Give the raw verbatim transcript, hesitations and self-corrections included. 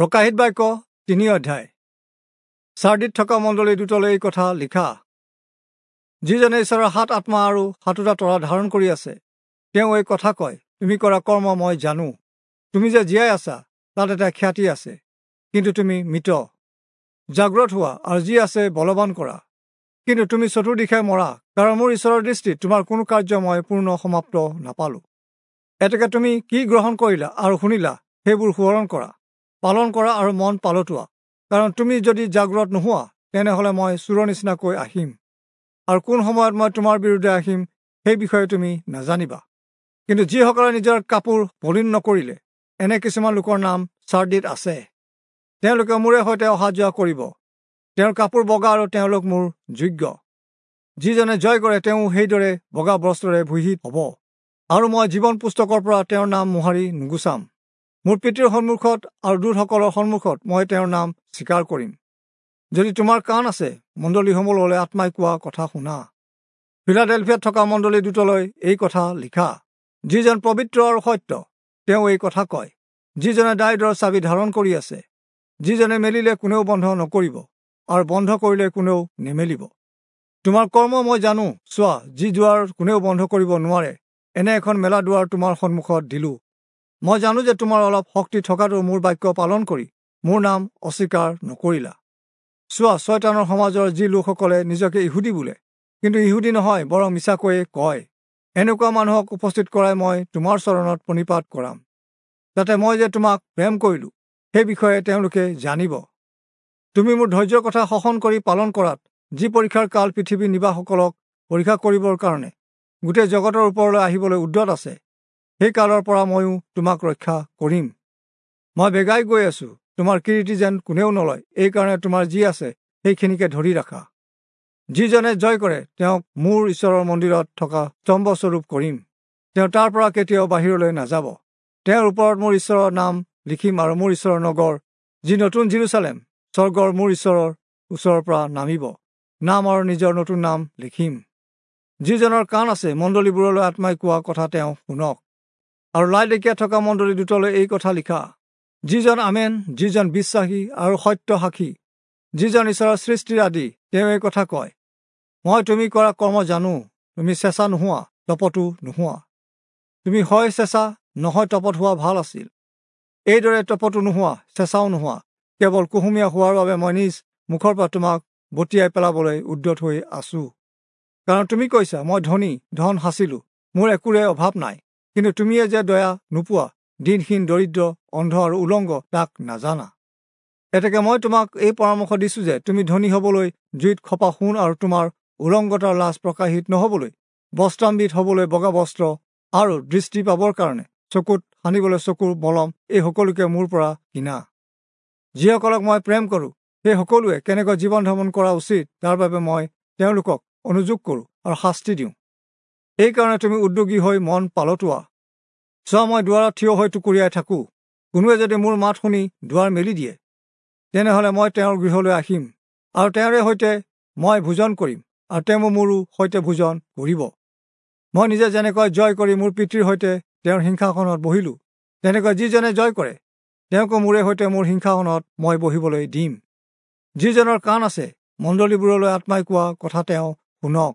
প্ৰকাশিত বাক্য তিনি অধ্যায়। চাৰ্দিত থকা মণ্ডলী দূতলৈ এই কথা লিখা, যিজনে ঈশ্বৰৰ সাত আত্মা আৰু সাতোটা তৰা ধাৰণ কৰি আছে, তেওঁ এই কথা কয়, তুমি কৰা কৰ্ম মই জানো। তুমি যে জীয়াই আছা তাত এটা খ্যাতি আছে, কিন্তু তুমি মৃত। জাগ্ৰত হোৱা আৰু যি আছে বলৱান কৰা, কিন্তু তুমি চতুৰ্দিশে মৰা, কাৰণ মোৰ ঈশ্বৰৰ দৃষ্টিত তোমাৰ কোনো কাৰ্য মই পূৰ্ণ সমাপ্ত নাপালোঁ। এতেকে তুমি কি গ্ৰহণ কৰিলা আৰু শুনিলা সেইবোৰ সোঁৱৰণ কৰা, পালন কৰা আৰু মন পালতোৱা। কাৰণ তুমি যদি জাগ্ৰত নোহোৱা, তেনেহ'লে মই চোৰৰ নিচিনাকৈ আহিম, আৰু কোন সময়ত মই তোমাৰ বিৰুদ্ধে আহিম সেই বিষয়ে তুমি নাজানিবা। কিন্তু যিসকলে নিজৰ কাপোৰ মলিন নকৰিলে, এনে কিছুমান লোকৰ নাম চাৰ্দিত আছে। তেওঁলোকে মোৰে সৈতে অহা যোৱা কৰিব, তেওঁৰ কাপোৰ বগা আৰু তেওঁলোক মোৰ যোগ্য। যিজনে জয় কৰে তেওঁ সেইদৰে বগা বস্ত্ৰৰে ভূষিত হ'ব, আৰু মই জীৱন পুস্তকৰ পৰা তেওঁৰ নাম মোহাৰি নুগুচাম। মোৰ পিতৃৰ সন্মুখত আৰু দূতসকলৰ সন্মুখত মই তেওঁৰ নাম স্বীকাৰ কৰিম। যদি তোমাৰ কাণ আছে, মণ্ডলীসমূহলৈ আত্মাই কোৱা কথা শুনা। ফিলাডেলফিয়াত থকা মণ্ডলী দূতলৈ এই কথা লিখা, যিজন পবিত্ৰ আৰু সত্য, তেওঁ এই কথা কয়, যিজনে দায়ূদৰ চাবি ধাৰণ কৰি আছে, যিজনে মেলিলে কোনেও বন্ধ নকৰিব আৰু বন্ধ কৰিলে কোনেও নেমেলিব। তোমাৰ কৰ্ম মই জানো, চোৱা, যি দুৱাৰ কোনেও বন্ধ কৰিব নোৱাৰে, এনে এখন মেলা দুৱাৰ তোমাৰ সন্মুখত দিলোঁ। মই জানো যে তোমাৰ অলপ শক্তি থকাটো মোৰ বাক্য পালন কৰি মোৰ নাম অস্বীকাৰ নকৰিলা। চোৱা, ছয়তানৰ সমাজৰ যি লোকসকলে নিজকে ইহুদী বোলে, কিন্তু ইহুদী নহয়, বৰং মিছাকৈয়ে কয়, এনেকুৱা মানুহক উপস্থিত কৰাই মই তোমাৰ চৰণত প্ৰণিপাত কৰাম, যাতে মই যে তোমাক প্ৰেম কৰিলোঁ সেই বিষয়ে তেওঁলোকে জানিব। তুমি মোৰ ধৈৰ্যৰ কথা শাসন কৰি পালন কৰাত যি পৰীক্ষাৰ কাল পৃথিৱীৰ নিবাসসকলক পৰীক্ষা কৰিবৰ কাৰণে গোটেই জগতৰ ওপৰলৈ আহিবলৈ উদ্যত আছে, সেই কালৰ পৰা ময়ো তোমাক ৰক্ষা কৰিম। মই বেগাই গৈ আছোঁ, তোমাৰ কিৰীটি যেন কোনেও নলয়, এইকাৰণে তোমাৰ যি আছে সেইখিনিকে ধৰি ৰাখা। যিজনে জয় কৰে তেওঁক মোৰ ঈশ্বৰৰ মন্দিৰত থকা স্তম্ভস্বৰূপ কৰিম, তেওঁ তাৰ পৰা কেতিয়াও বাহিৰলৈ নাযাব। তেওঁৰ ওপৰত মোৰ ঈশ্বৰৰ নাম লিখিম আৰু মোৰ ঈশ্বৰৰ নগৰ, যি নতুন যিৰূচালেম, স্বৰ্গৰ মোৰ ঈশ্বৰৰ ওচৰৰ পৰা নামিব, নাম আৰু নিজৰ নতুন নাম লিখিম। যিজনৰ কাণ আছে, মণ্ডলীবোৰলৈ আত্মাই কোৱা কথা তেওঁ শুনক। আৰু লাইদেকীয়া থকা মণ্ডলী দূতলৈ এই কথা লিখা, যিজন আমেন, যিজন বিশ্বাসী আৰু সত্য সাক্ষী, যিজন ঈশ্বৰৰ সৃষ্টিৰ আদি, তেওঁ এই কথা কয়, মই তুমি কৰা কৰ্ম জানো, তুমি চেঁচা নোহোৱা, তপতো নোহোৱা। তুমি হয় চেঁচা নহয় তপত হোৱা ভাল আছিল। এইদৰে তপতো নোহোৱা, চেঁচাও নোহোৱা, কেৱল কুহুমীয়া হোৱাৰ বাবে মই নিজ মুখৰ পৰা তোমাক বটিয়াই পেলাবলৈ উদ্যত হৈ আছোঁ। কাৰণ তুমি কৈছা, মই ধনী, ধন সাঁচিলোঁ, মোৰ একোৰে অভাৱ নাই। কিন্তু তুমিয়ে যে দয়া নোপোৱা, দীনহীন, দৰিদ্ৰ, অন্ধ আৰু উলংগ, তাক নাজানা। এতেকে মই তোমাক এই পৰামৰ্শ দিছোঁ যে তুমি ধনী হ'বলৈ জুইত খপা সোণ আৰু তোমাৰ উলংগতাৰ লাজ প্ৰকাশিত নহ'বলৈ বস্ত্ৰাম্বিত হ'বলৈ বগা বস্ত্ৰ আৰু দৃষ্টি পাবৰ কাৰণে চকুত সানিবলৈ চকুৰ মলম, এই সকলোকে মোৰ পৰা কিনা। যিসকলক মই প্ৰেম কৰোঁ, সেই সকলোৱে কেনেকৈ জীৱন ধাৰণ কৰা উচিত তাৰ বাবে মই তেওঁলোকক অনুযোগ কৰোঁ আৰু শাস্তি দিওঁ। এইকাৰণে তুমি উদ্যোগী হৈ মন পালতোৱা। চোৱা, মই দুৱাৰত থিয় হৈ টুকুৰিয়াই থাকোঁ। কোনোৱে যদি মোৰ মাত শুনি দুৱাৰ মেলি দিয়ে, তেনেহ'লে মই তেওঁৰ গৃহলৈ আহিম আৰু তেওঁৰে সৈতে মই ভোজন কৰিম আৰু তেওঁ মোৰো সৈতে ভোজন কৰিব। মই নিজে যেনেকৈ জয় কৰি মোৰ পিতৃৰ সৈতে তেওঁৰ সিংহাসনত বহিলোঁ, তেনেকৈ যিজনে জয় কৰে তেওঁকো মোৰে সৈতে মোৰ সিংহাসনত মই বহিবলৈ দিম। যিজনৰ কাণ আছে, মণ্ডলীবোৰলৈ আত্মাই কোৱা কথা তেওঁ শুনক।